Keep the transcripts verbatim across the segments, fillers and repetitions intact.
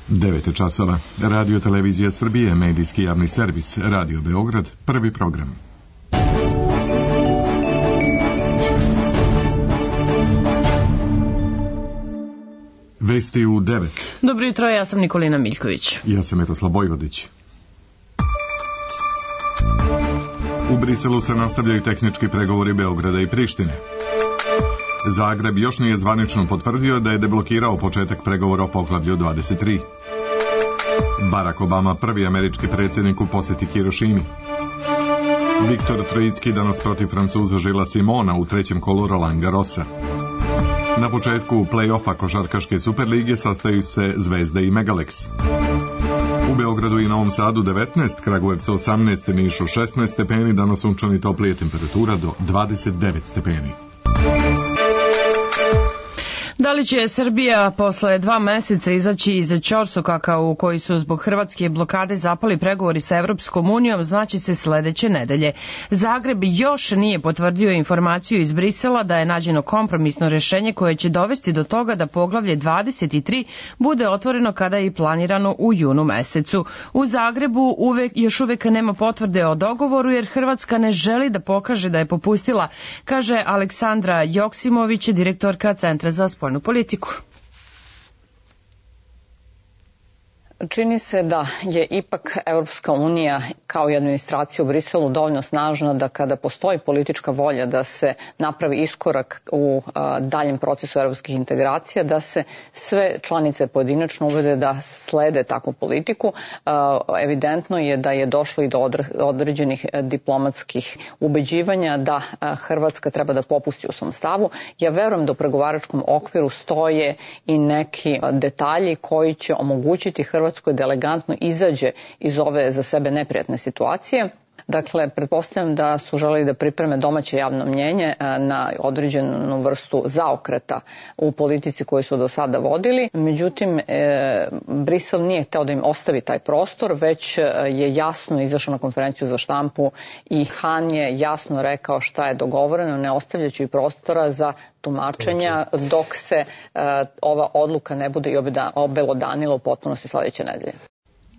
devet časova. Radio Televizija Srbije, medijski javni servis, Radio Beograd, prvi program. Vesti u devet. Dobro jutro, ja sam Nikolina Miljković. Ja sam Miroslav Bojvodić. U Briselu se nastavljaju tehnički pregovori Beograda i Prištine. Zagreb još nije zvanično potvrdio da je deblokirao početak pregovora o poglavlju dvadeset tri. Barack Obama, prvi američki predsjednik u posjeti Hirošimi. Viktor Trojicki danas protiv Francuza Žila Simona u trećem kolu Roland Garrosa. Na početku play-offa košarkaške Superlige sastaju se Zvezda i Megalex. U Beogradu i Novom Sadu devetnaest, Kragujevcu osamnaest, Nišu šesnaest stepeni, danas sunčani, toplije, temperatura do dvadeset devet stepeni. Da li će Srbija posle dva meseca izaći iz ćorsokaka u koji su zbog hrvatske blokade zapali pregovori sa Evropskom unijom, znaće se sledeće nedelje. Zagreb još nije potvrdio informaciju iz Brisela da je nađeno kompromisno rešenje koje će dovesti do toga da poglavlje dvadeset tri bude otvoreno kada je i planirano u junu mesecu. U Zagrebu uvek, još uvek nema potvrde o dogovoru jer Hrvatska ne želi da pokaže da je popustila, kaže Aleksandra Joksimović, direktorka Centra za spoljnu politiku. Čini se da je ipak Evropska unija kao i administracija u Briselu dovoljno snažna da kada postoji politička volja da se napravi iskorak u a, daljem procesu evropskih integracija, da se sve članice pojedinačno uvede da slede takvu politiku. A, evidentno je da je došlo i do određenih diplomatskih ubeđivanja da a, Hrvatska treba da popusti u svom stavu. Ja verujem da u pregovaračkom okviru stoje i neki detalji koji će omogućiti Hrvatskoj da elegantno izađe iz ove za sebe neprijatne situacije. Dakle, pretpostavljam da su želeli da pripreme domaće javno mnjenje na određenu vrstu zaokreta u politici koju su do sada vodili. Međutim, e, Brisel nije hteo da im ostavi taj prostor, već je jasno izašao na konferenciju za štampu i Han je jasno rekao šta je dogovoreno, ne ostavljajući prostora za tumačenja dok se e, ova odluka ne bude i obelodanila u potpunosti sledeće nedelje.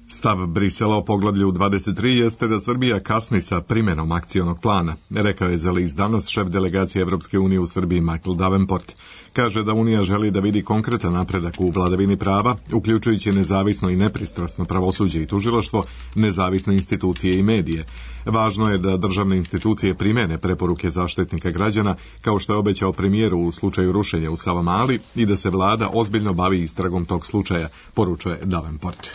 Stav Brisela o poglavlju dvadeset tri jeste da Srbija kasni sa primjenom akcionog plana, rekao je za list Danas šef delegacije Evropske unije u Srbiji Michael Davenport. Kaže da Unija želi da vidi konkretan napredak u vladavini prava, uključujući nezavisno i nepristrasno pravosuđe i tužilaštvo, nezavisne institucije i medije. Važno je da državne institucije primene preporuke Zaštitnika građana, kao što je obećao premijeru u slučaju rušenja u Savamali, i da se vlada ozbiljno bavi istragom tog slučaja, poručuje Davenport.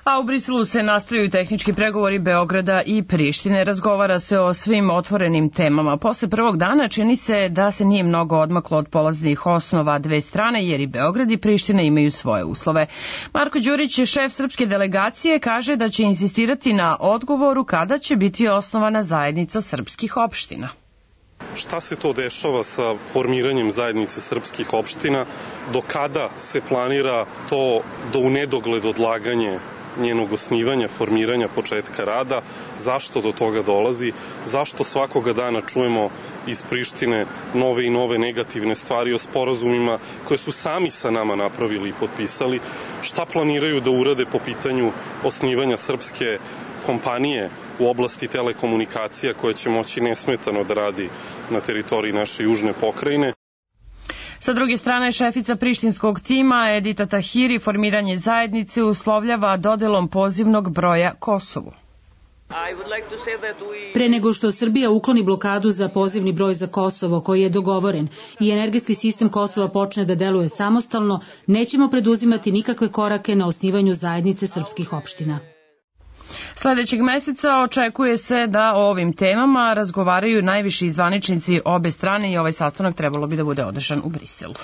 A u Briselu se nastavljaju tehnički pregovori Beograda i Prištine. Razgovara se o svim otvorenim temama. Posle prvog dana čini se da se nije mnogo odmaklo od polaznih osnova dve strane, jer i Beograd i Priština imaju svoje uslove. Marko Đurić, šef srpske delegacije, kaže da će insistirati na odgovoru kada će biti osnovana zajednica srpskih opština. Šta se to dešava sa formiranjem zajednice srpskih opština? Do kada se planira to do u nedogled odlaganje njenog osnivanja, formiranja, početka rada, zašto do toga dolazi, zašto svakoga dana čujemo iz Prištine nove i nove negativne stvari o sporazumima koje su sami sa nama napravili i potpisali, šta planiraju da urade po pitanju osnivanja srpske kompanije u oblasti telekomunikacija koja će moći nesmetano da radi na teritoriji naše južne pokrajine. Sa druge strane, šefica prištinskog tima Edita Tahiri formiranje zajednice uslovljava dodelom pozivnog broja Kosovu. Pre nego što Srbija ukloni blokadu za pozivni broj za Kosovo koji je dogovoren i energetski sistem Kosova počne da deluje samostalno, nećemo preduzimati nikakve korake na osnivanju zajednice srpskih opština. Sledećeg meseca očekuje se da o ovim temama razgovaraju najviši zvaničnici obe strane i ovaj sastanak trebalo bi da bude održan u Briselu.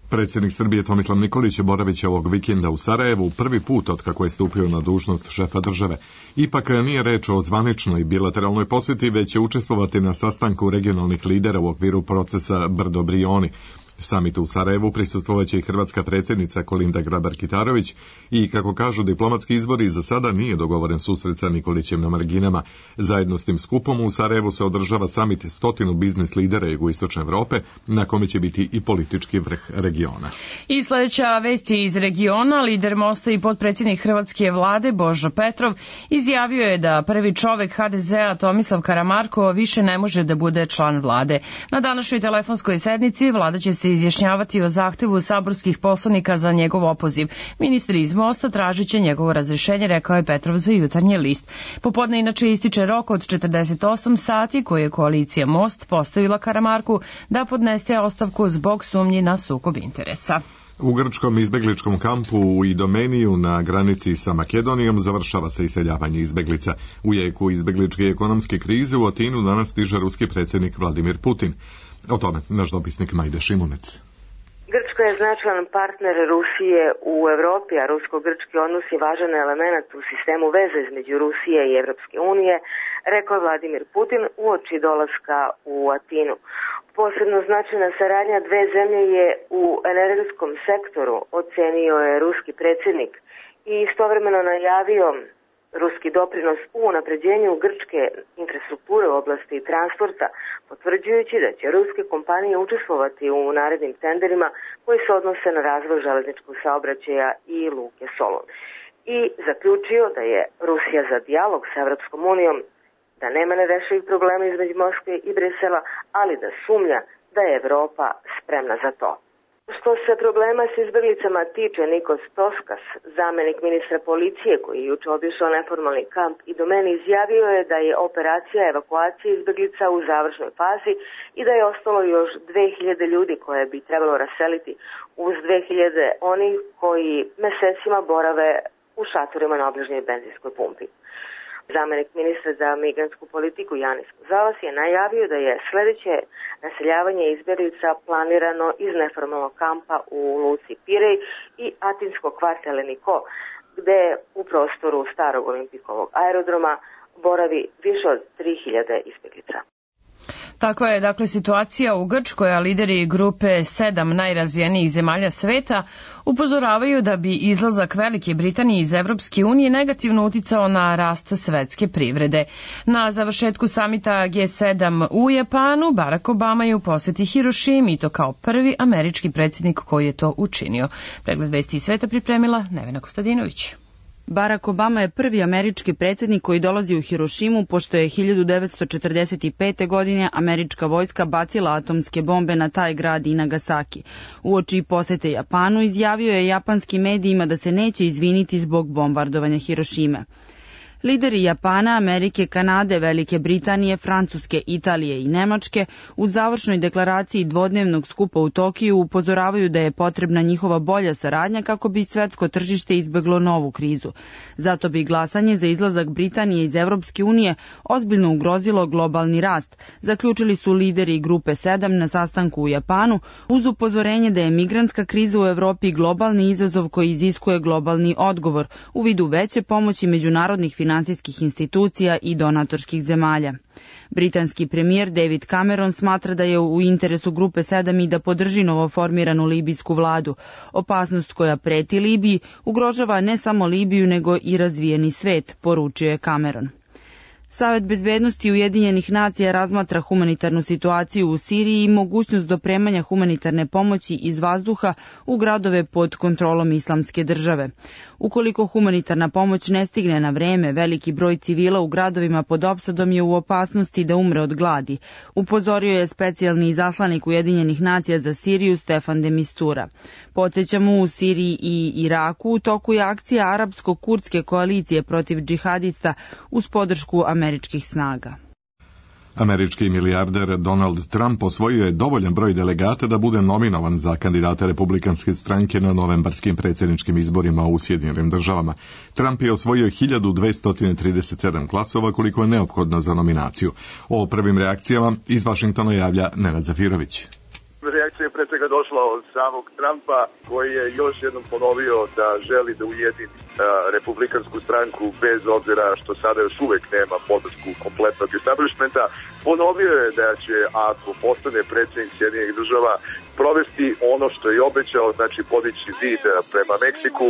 Predsjednik Srbije Tomislav Nikolić boravit će ovog vikenda u Sarajevu prvi put od kako je stupio na dužnost šefa države. Ipak nije reč o zvaničnoj bilateralnoj posjeti, već će učestvovati na sastanku regionalnih lidera u okviru procesa Brdo Brioni. Samitu u Sarajevu prisustvovaće i hrvatska predsjednica Kolinda Grabar-Kitarović i, kako kažu diplomatski izbori, za sada nije dogovoren susret sa Nikolićem na marginama. Zajedno s tim skupom u Sarajevu se održava samit stotinu biznis lidera jugoistočne Evrope, na kome će biti i politički vrh regiona. I sljedeća vest je iz regiona. Lider Mosta i potpredsjednik hrvatske vlade Božo Petrov izjavio je da prvi čovek ha de zea Tomislav Karamarko više ne može da bude član vlade. Na današnjoj telefonskoj sednici vlada će se izjašnjavati o zahtevu saborskih poslanika za njegov opoziv. Ministri iz Mosta tražit će njegovo razrešenje, rekao je Petrov za Jutarnji list. Popodne inače ističe rok od četrdeset osam sati koje je koalicija Most postavila Karamarku da podnese ostavku zbog sumnji na sukob interesa. U grčkom izbegličkom kampu u Idomeniju na granici sa Makedonijom završava se iseljavanje izbeglica. U jeku izbegličke ekonomske krize u Atinu danas stiže ruski predsjednik Vladimir Putin. O tome naš dopisnik Majde Šimunec. Grčka je značajan partner Rusije u Evropi, a rusko-grčki odnos je važan element u sistemu veze između Rusije i Evropske unije, rekao je Vladimir Putin uoči dolaska u Atinu. Posebno značajna saradnja dve zemlje je u energetskom sektoru, ocenio je ruski predsjednik i istovremeno najavio ruski doprinos u unapređenju grčke infrastrukture u oblasti transporta, potvrđujući da će ruske kompanije učestvovati u narednim tenderima koji se odnose na razvoj železničkog saobraćaja i luke Solun. I zaključio da je Rusija za dijalog sa Evropskom unijom, da nema nerešivih problema između Moskve i Brisela, ali da sumnja da je Evropa spremna za to. Što se problema s izbeglicama tiče, Nikos Toskas, zamenik ministra policije koji je juče obišao neformalni kamp Idomeni, izjavio je da je operacija evakuacije izbeglica u završnoj fazi i da je ostalo još dve hiljade ljudi koje bi trebalo raseliti uz dve hiljade onih koji mesecima borave u šatorima na obližnjoj benzinskoj pumpi. Zamenik ministra za migrantsku politiku Janis Kuzalas je najavio da je sljedeće naseljavanje izbjeglica planirano iz neformalnog kampa u luci Pirej i atinskog kvarta Leniko, gde u prostoru starog olimpijskog aerodroma boravi više od tri hiljade izbjeglica. Takva je dakle situacija u Grčkoj, a lideri grupe sedam najrazvijenijih zemalja sveta upozoravaju da bi izlazak Velike Britanije iz Evropske unije negativno uticao na rast svetske privrede. Na završetku samita ge sedam u Japanu Barack Obama je u poseti Hirošimi i to kao prvi američki predsjednik koji je to učinio. Pregled vesti iz sveta pripremila Nevena Kostadinović. Barack Obama je prvi američki predsjednik koji dolazi u Hirošimu, pošto je hiljadu devetsto četrdeset pete. godine američka vojska bacila atomske bombe na taj grad i Nagasaki. Uoči posete Japanu izjavio je japanskim medijima da se neće izviniti zbog bombardovanja Hirošime. Lideri Japana, Amerike, Kanade, Velike Britanije, Francuske, Italije i Nemačke u završnoj deklaraciji dvodnevnog skupa u Tokiju upozoravaju da je potrebna njihova bolja saradnja kako bi svetsko tržište izbeglo novu krizu. Zato bi glasanje za izlazak Britanije iz Evropske unije ozbiljno ugrozilo globalni rast, zaključili su lideri grupe sedam na sastanku u Japanu, uz upozorenje da je migrantska kriza u Evropi globalni izazov koji iziskuje globalni odgovor u vidu veće pomoći međunarodnih finansijskih institucija i donatorskih zemalja. Britanski premijer David Cameron smatra da je u interesu grupe sedam i da podrži novoformiranu libijsku vladu. Opasnost koja preti Libiji ugrožava ne samo Libiju nego i razvijeni svet, poručio je Cameron. Savet bezbednosti Ujedinjenih nacija razmatra humanitarnu situaciju u Siriji i mogućnost dopremanja humanitarne pomoći iz vazduha u gradove pod kontrolom Islamske države. Ukoliko humanitarna pomoć ne stigne na vreme, veliki broj civila u gradovima pod opsadom je u opasnosti da umre od gladi, upozorio je specijalni izaslanik Ujedinjenih nacija za Siriju Stefan de Mistura. Podsjećamo, u Siriji i Iraku u toku je akcija arapsko-kurdske koalicije protiv džihadista uz podršku američkih snaga. Američki milijarder Donald Trump osvojio je dovoljan broj delegata da bude nominovan za kandidata republikanske stranke na novembarskim predsjedničkim izborima u Sjedinjenim državama. Trump je osvojio hiljadu dvesta trideset sedam glasova koliko je neophodno za nominaciju. O prvim reakcijama iz Vašingtona javlja Nenad Zafirović. Reakcija je pre svega došla od samog Trumpa, koji je još jednom ponovio da želi da ujedini republikansku stranku bez obzira što sada još uvek nema podršku kompletnog establishmenta. Ponovio je da će, ako postane predsjednik Sjedinjenih država, provesti ono što je obećao, znači podići zid prema Meksiku,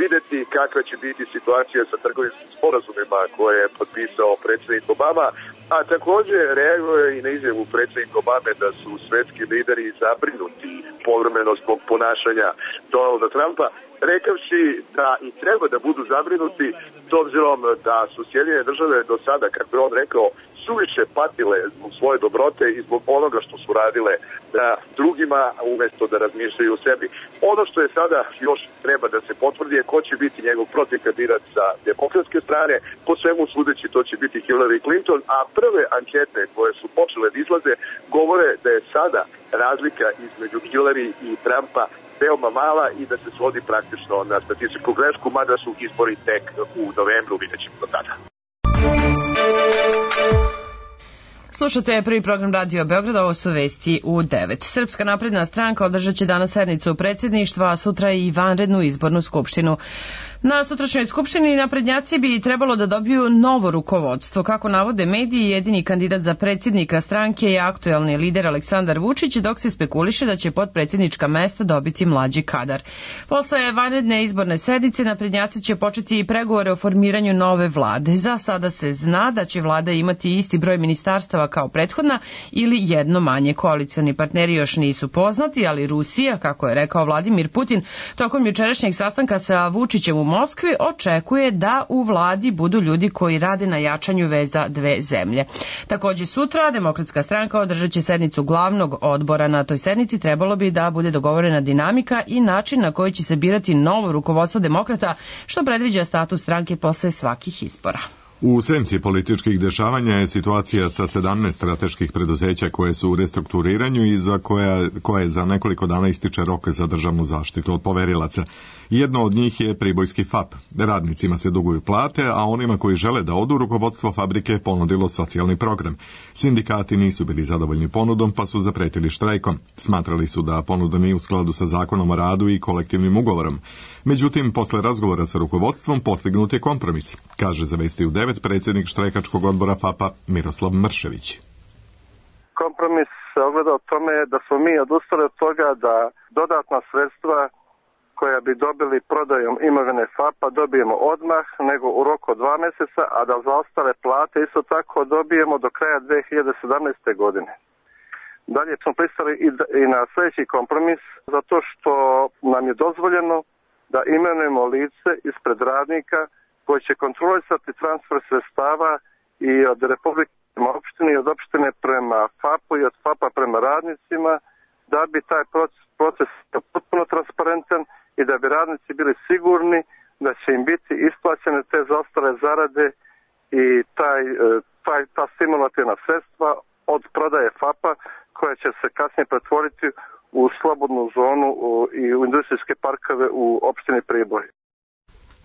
videti kakva će biti situacija sa trgovinskim sporazumima koje je potpisao predsjednik Obama, a također reaguje i na izjavu predsjednika Obame da su svetski lideri zabrinuti povremeno zbog ponašanja Donalda Trumpa, rekavši da i treba da budu zabrinuti s obzirom da su Sjedinjene države do sada, kako je on rekao, suviše patile zbog svoje dobrote i zbog onoga što su radile da drugima umesto da razmišljaju o sebi. Ono što je sada još treba da se potvrdi je ko će biti njegov protivkandidat sa demokratske strane. Po svemu sudeći to će biti Hillary Clinton, a prve ankete koje su počele da izlaze govore da je sada razlika između Hillary i Trumpa veoma mala i da se svodi praktično na statističku grešku, mada su izbori tek u novembru, vidjet ćemo do tada. Slušate prvi program Radio Beograda, ovo su vesti u devet. Srpska napredna stranka održat će danas sednicu predsjedništva, a sutra i vanrednu izbornu skupštinu. Na sutrašnjoj skupštini naprednjaci bi trebalo da dobiju novo rukovodstvo. Kako navode mediji, jedini kandidat za predsjednika stranke je aktuelni lider Aleksandar Vučić, dok se spekuliše da će potpredsjednička mesta dobiti mlađi kadar. Posle vanredne izborne sednice naprednjaci će početi i pregovore o formiranju nove vlade. Za sada se zna da će vlada imati isti broj ministarstava kao prethodna ili jedno manje. Koalicioni partneri još nisu poznati, ali Rusija, kako je rekao Vladimir Putin, tokom jučerašnjeg sastanka sa Vučićem u Moskvi, očekuje da u vladi budu ljudi koji rade na jačanju veza dve zemlje. Također sutra Demokratska stranka održat će sednicu glavnog odbora. Na toj sednici trebalo bi da bude dogovorena dinamika i način na koji će se birati novo rukovodstvo demokrata, što predviđa status stranke posle svakih izbora. U senci političkih dešavanja je situacija sa sedamnaest strateških preduzeća koje su u restrukturiranju i za koja, koje za nekoliko dana ističe rok za državnu zaštitu od poverilaca. Jedno od njih je Pribojski F A P. Radnicima se duguju plate, a onima koji žele da odu rukovodstvo fabrike ponudilo socijalni program. Sindikati nisu bili zadovoljni ponudom, pa su zapretili štrajkom. Smatrali su da ponuda nije u skladu sa zakonom o radu i kolektivnim ugovorom. Međutim, posle razgovora sa rukovodstvom postignut je kompromis, kaže za Vesti u devet predsjednik štrajkačkog odbora F A P-a Miroslav Mršević. Kompromis se ogleda o tome da smo mi odustali od toga da dodatna sredstva koja bi dobili prodajom imovine F A P-a dobijemo odmah, nego u roku od dva mjeseca, a da za ostale plate isto tako dobijemo do kraja dve hiljade sedamnaeste. godine. Dalje smo pristali i na sljedeći kompromis, zato što nam je dozvoljeno da imenujemo lice ispred radnika koji će kontrolisati transfer sredstava i od Republike prema opštini i od opštine prema F A P-u i od F A P-a prema radnicima, da bi taj proces, proces potpuno transparentan i da bi radnici bili sigurni da će im biti isplaćene te zaostale zarade i taj, taj, ta stimulativna sredstva od prodaje F A P-a koja će se kasnije pretvoriti u slobodnu zonu i u industrijske parkove u opštini Priboj.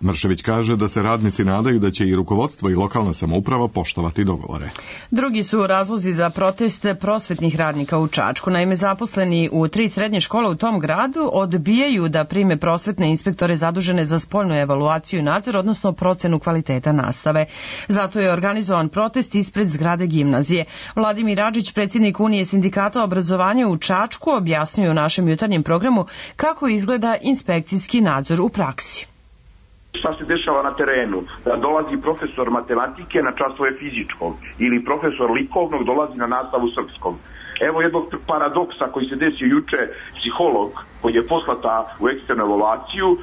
Mršević kaže da se radnici nadaju da će i rukovodstvo i lokalna samouprava poštovati dogovore. Drugi su razlozi za protest prosvetnih radnika u Čačku. Naime, zaposleni u tri srednje škole u tom gradu odbijaju da prime prosvetne inspektore zadužene za spoljnu evaluaciju i nadzor, odnosno procenu kvaliteta nastave. Zato je organizovan protest ispred zgrade gimnazije. Vladimir Adžić, predsjednik Unije sindikata obrazovanja u Čačku, objasnio u našem jutarnjem programu kako izgleda inspekcijski nadzor u praksi. Šta se dešava na terenu? Dolazi profesor matematike na časove fizičkog ili profesor likovnog dolazi na nastavu srpskog. Evo jednog paradoksa koji se desio juče, psiholog koji je poslata u eksternu evaluaciju, e,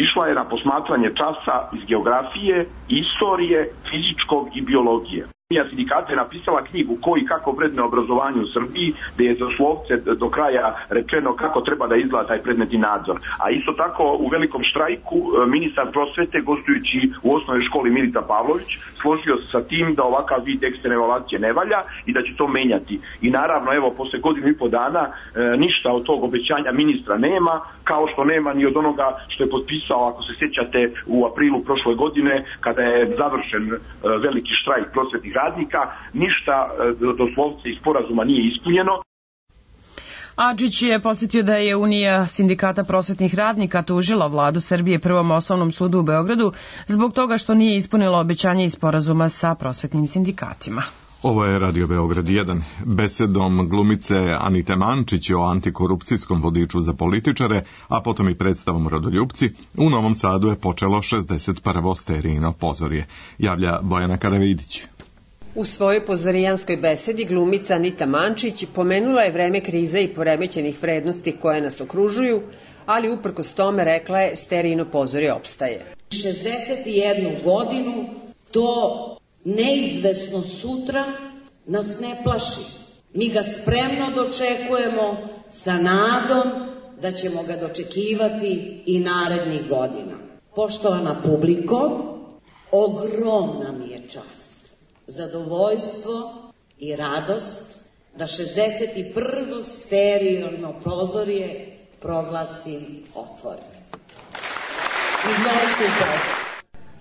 išla je na posmatranje časa iz geografije, istorije, fizičkog i biologije. Sindikata je napisala knjigu Ko i kako vredne obrazovanje u Srbiji, gdje je doslovce do kraja rečeno kako treba da izgleda taj predmetni nadzor. A isto tako u velikom štrajku ministar prosvete, gostujući u osnovnoj školi Milita Pavlović, složio se sa tim da ovakav vid eksterne evaluacije ne valja i da će to menjati. I naravno, evo, posle godinu i po dana e, ništa od tog obećanja ministra nema, kao što nema ni od onoga što je potpisao, ako se sjećate, u aprilu prošle godine, kada je završen e, veliki štrajk prosvetnih radnika, ništa doslovce iz sporazuma nije ispunjeno. Adžić je podsjetio da je Unija sindikata prosvetnih radnika tužila vladu Srbije Prvom osnovnom sudu u Beogradu zbog toga što nije ispunila obećanje iz sporazuma sa prosvetnim sindikatima. Ovo je Radio Beograd jedan. Besedom glumice Anite Mančić o antikorupcijskom vodiču za političare, a potom i predstavom Rodoljupci, u Novom Sadu je počelo šezdeset prvo sterijino pozorje. Javlja Bojana Karavidić. U svojoj pozorijanskoj besedi glumica Anita Mančić pomenula je vreme krize i poremećenih vrednosti koje nas okružuju, ali uprkos tome rekla je sterijino pozorje opstaje. šezdeset jednu godinu to neizvesno sutra nas ne plaši. Mi ga spremno dočekujemo sa nadom da ćemo ga dočekivati i narednih godina. Poštovana publiko, ogromna mi je čast, zadovoljstvo i radost da šezdeset prvo sterijino pozorje proglasim otvorenim. Izvolite u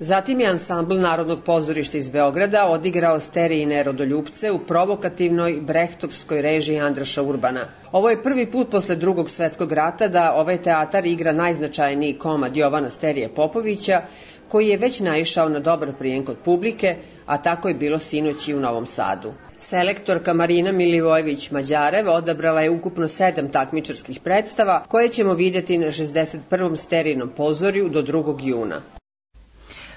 Zatim je ansambl Narodnog pozorišta iz Beograda odigrao sterijine Rodoljupce u provokativnoj brehtovskoj režiji Andraša Urbana. Ovo je prvi put posle Drugog svetskog rata da ovaj teatar igra najznačajniji komad Jovana Sterije Popovića, koji je već naišao na dobar prijem kod publike, a tako je bilo sinoć i u Novom Sadu. Selektorka Marina Milivojević-Mađarev odabrala je ukupno sedam takmičarskih predstava koje ćemo vidjeti na šezdeset prvom sterijinom pozorju do drugog juna.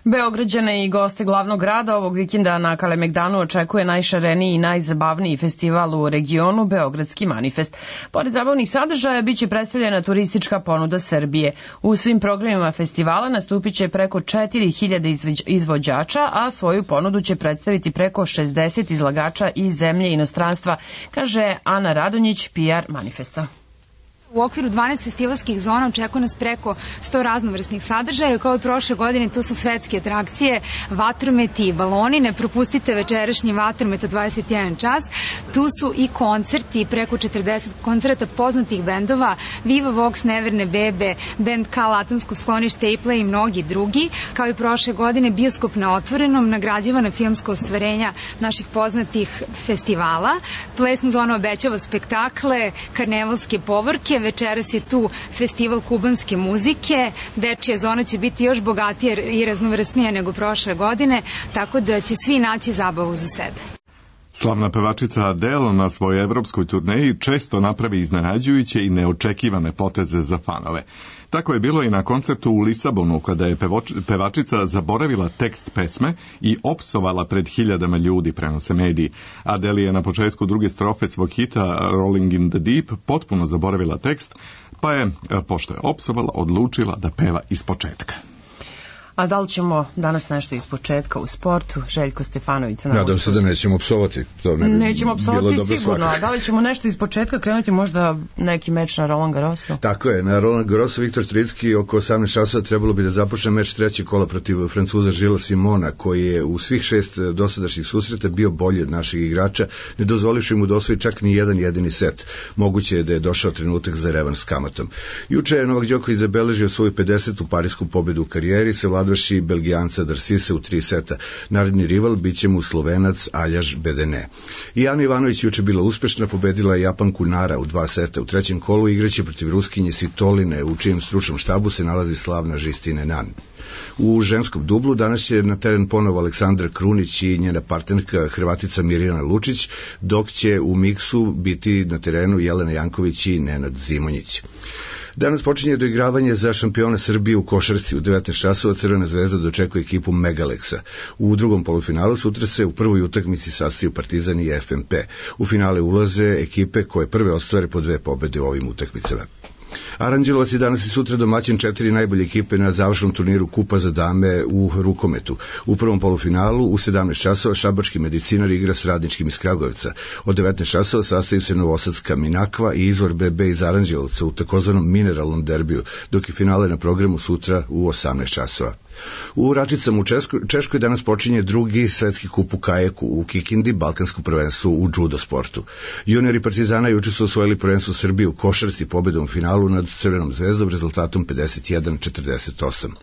Beograđane i goste glavnog grada ovog vikenda na Kalemegdanu očekuje najšareniji i najzabavniji festival u regionu, Beogradski manifest. Pored zabavnih sadržaja, biće predstavljena turistička ponuda Srbije. U svim programima festivala nastupit će preko četiri hiljade izvođača, a svoju ponudu će predstaviti preko šezdeset izlagača iz zemlje i inostranstva, kaže Ana Radonjić, P R manifesta. U okviru dvanaest festivalskih zona očekuje nas preko sto raznovrsnih sadržaja. Kao i prošle godine, tu su svetske atrakcije, vatrometi i baloni. Ne propustite večerašnji vatromet od dvadeset jedan čas. Tu su i koncerti, preko četrdeset koncerta poznatih bendova, Viva Vox, Neverne bebe, band Kal, Atomsko sklonište, Aplay i mnogi drugi. Kao i prošle godine, bioskop na otvorenom, nagrađivana filmska ostvarenja naših poznatih festivala. Plesna zona obećava spektakle, karnevalske povorke. Večeras je tu festival kubanske muzike, dečija zona će biti još bogatija i raznovrsnija nego prošle godine, tako da će svi naći zabavu za sebe. Slavna pevačica Adele na svojoj evropskoj turneji često napravi iznenađujuće i neočekivane poteze za fanove. Tako je bilo i na koncertu u Lisabonu, kada je pevačica zaboravila tekst pesme i opsovala pred hiljadama ljudi, prenose mediji. Adele je na početku druge strofe svog hita Rolling in the Deep potpuno zaboravila tekst, pa je, pošto je opsovala, odlučila da peva iz početka. A da li ćemo danas nešto iz početka u sportu? Željko Stefanović. Nadam se da nećemo psovati. To ne bi nećemo psovati sigurno. Svakako. A da li ćemo nešto iz početka krenuti, možda neki meč na Roland Garrosu? Tako je, na Roland Garrosu Viktor Tricki oko osamnaest časova trebalo bi da započne meč trećeg kola protiv Francuza Žila Simona, koji je u svih šest dosadašnjih susreta bio bolji od naših igrača, ne dozvolivši mu da osvoji čak ni jedan jedini set. Moguće je da je došao trenutak za revanš s kamatom. Juče je Novak Đoković zabeležio svoju pedesetu parisku pobedu u karijeri, se vladaši Belgijanca Darsise u tri seta. Naredni rival biće mu Slovenac Aljaž Bedene. I Ana Ivanović juče bila uspešna, pobedila je Japanku Nara u dva seta. U trećem kolu igraće protiv Ruskinje Svitoline, u čijem stručnom štabu se nalazi slavna Žistine Nan. U ženskom dublu danas će na teren ponovo Aleksandra Krunić i njena partnerka Hrvatica Mirjana Lučić, dok će u miksu biti na terenu Jelena Janković i Nenad Zimonjić. Danas počinje doigravanje za šampiona Srbije u košarci. U devetnaest časova Crvena zvezda dočekuje ekipu Megaleksa. U drugom polufinalu sutra se u prvoj utakmici sastaju Partizan i F M P. U finale ulaze ekipe koje prve ostvare po dve pobede u ovim utakmicama. Aranđelovac je danas i sutra domaćin četiri najbolje ekipe na završnom turniru Kupa za dame u rukometu. U prvom polufinalu u sedamnaest časova šabački medicinar igra s Radničkim iz Kragujevca. Od devetnaest časova sastaju se Novosadska Minakva i Izvor B B iz Aranđelovca u takozvanom mineralnom derbiju, dok je finale na programu sutra u osamnaest časova. U Račicama u Češkoj, Češkoj danas počinje drugi svetski kup u kajaku, u Kikindi balkansko prvenstvo u judo sportu. Juniori Partizana juče su osvojili prvenstvo Srbije u košarci pobedom u finalu nad Crvenom zvezdom rezultatom pedeset jedan četrdeset osam.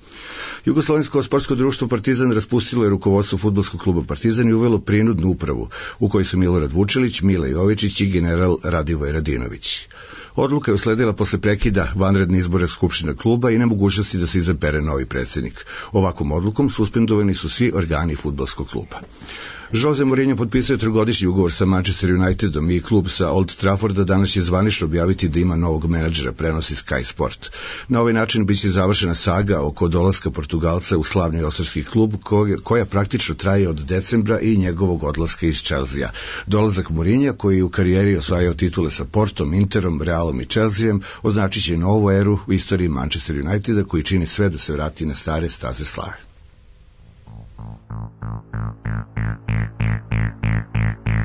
Jugoslovensko sportsko društvo Partizan raspustilo je rukovodstvo fudbalskog kluba Partizan i uvelo prinudnu upravu, u kojoj su Milorad Vučelić, Mile Jovičić i general Radivoj Radinović. Odluka je usledila posle prekida vanredne izbore Skupštine kluba i nemogućnosti da se izabere novi predsjednik. Ovakvom odlukom suspendovani su svi organi fudbalskog kluba. Jose Mourinho potpisao je trogodišnji ugovor sa Manchester Unitedom i klub sa Old Trafforda danas će zvanično objaviti da ima novog menadžera, prenosi Sky Sport. Na ovaj način biće završena saga oko dolaska Portugalca u slavni ostarski klub koja praktično traje od decembra i njegovog odlaska iz Chelsea. Dolazak Mourinha, koji je u karijeri osvajao titule sa Portom, Interom, Realom i Chelseaem, označit će novu eru u istoriji Manchester Uniteda koji čini sve da se vrati na stare staze slave.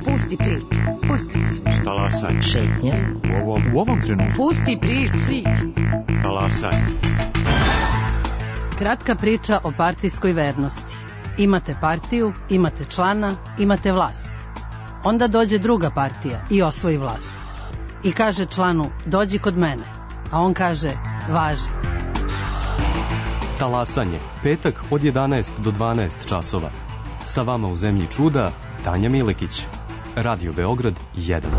Pusti priču, pusti priču. Talasaj. Šetnja. U ovom, u ovom trenutku. Pusti priču. Talasaj. Kratka priča o partijskoj vernosti. Imate partiju, imate člana, imate vlast. Onda dođe druga partija i osvoji vlast. I kaže članu, dođi kod mene. A on kaže, važi. Talasanje, petak od jedanaest do dvanaest časova. Sa vama u zemlji čuda, Tanja Milekić. Radio Beograd jedan.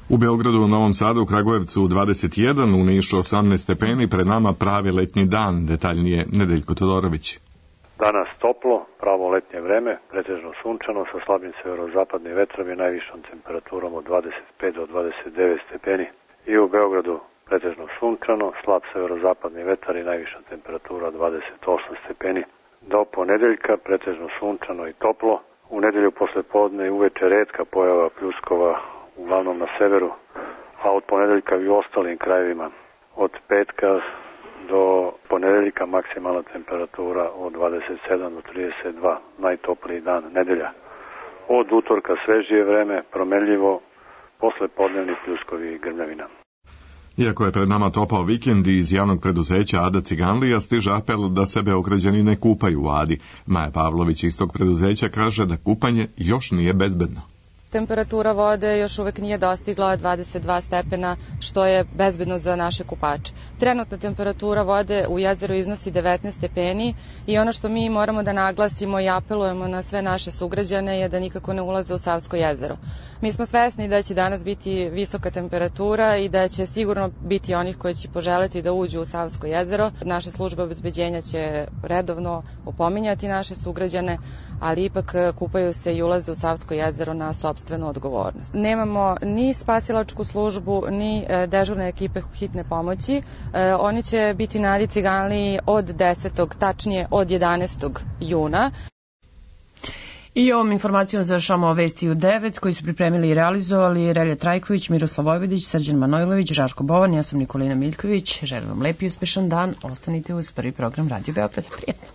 U Beogradu, u Novom Sadu, u Kragujevcu dvadeset jedan, u Nišu osamnaest stepeni, pred nama pravi letnji dan, detaljnije Nedeljko Todorović. Danas toplo, pravo letnje vreme, pretežno sunčano, sa slabim severozapadnim vetrom i najvišom temperaturom od dvadeset pet do dvadeset devet stepeni. I u Beogradu pretežno sunčano, slab severozapadni vetar i najviša temperatura dvadeset osam stepeni. Do ponedeljka pretežno sunčano i toplo. U nedelju posle podne i uveče retka pojava pljuskova, uglavnom na severu, a od ponedeljka i u ostalim krajevima. Od petka do ponedeljka maksimalna temperatura od dvadeset sedam do trideset dva, najtopliji dan nedelja. Od utorka svežije vreme, promenljivo, posle podnevni pljuskovi i grmljavina. Iako je pred nama topao vikend, iz javnog preduzeća Ada Ciganlija stiže apel da se Beograđani ne kupaju u Adi. Maja Pavlović iz tog preduzeća kaže da kupanje još nije bezbedno. Temperatura vode još uvek nije dostigla dvadeset dva stepena, što je bezbedno za naše kupače. Trenutna temperatura vode u jezeru iznosi devetnaest stepeni i ono što mi moramo da naglasimo i apelujemo na sve naše sugrađane je da nikako ne ulaze u Savsko jezero. Mi smo svesni da će danas biti visoka temperatura i da će sigurno biti onih koji će poželeti da uđu u Savsko jezero. Naše službe obezbeđenja će redovno opominjati naše sugrađane, ali ipak kupaju se i ulaze u Savsko jezero na sopstvenu odgovornost. Nemamo ni spasilačku službu, ni dežurne ekipe hitne pomoći. Oni će biti na Adi Ciganliji od desetog, tačnije od jedanaestog juna. I ovom informacijom završamo vesti u devet koji su pripremili i realizovali Relja Trajković, Miroslav Vojvodić, Srđan Manojlović, Žarko Bovan, ja sam Nikolina Miljković. Želim vam lep i uspešan dan. Ostanite uz prvi program Radio Beograd. Prijetno.